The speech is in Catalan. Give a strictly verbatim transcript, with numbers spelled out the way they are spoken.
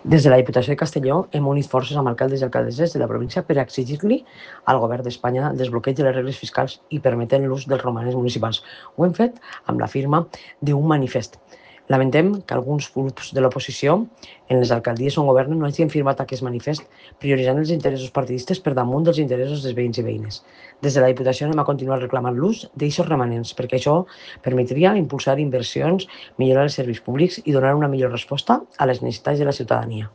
Des de la Diputació de Castelló hem unit forces amb alcaldes i alcaldesses de la província per exigir-li al govern d'Espanya el desbloqueig de les regles fiscals i permetent l'ús dels romanents municipals. Ho hem fet amb la firma d'un manifest. Lamentem que alguns grups de l'oposició en les alcaldies on governen no hagin firmat aquest manifest, prioritzant els interessos partidistes per damunt dels interessos dels veïns i veïnes. Des de la Diputació anem a continuar reclamant l'ús d'aixos romanents, perquè això permetria impulsar inversions, millorar els serveis públics i donar una millor resposta a les necessitats de la ciutadania.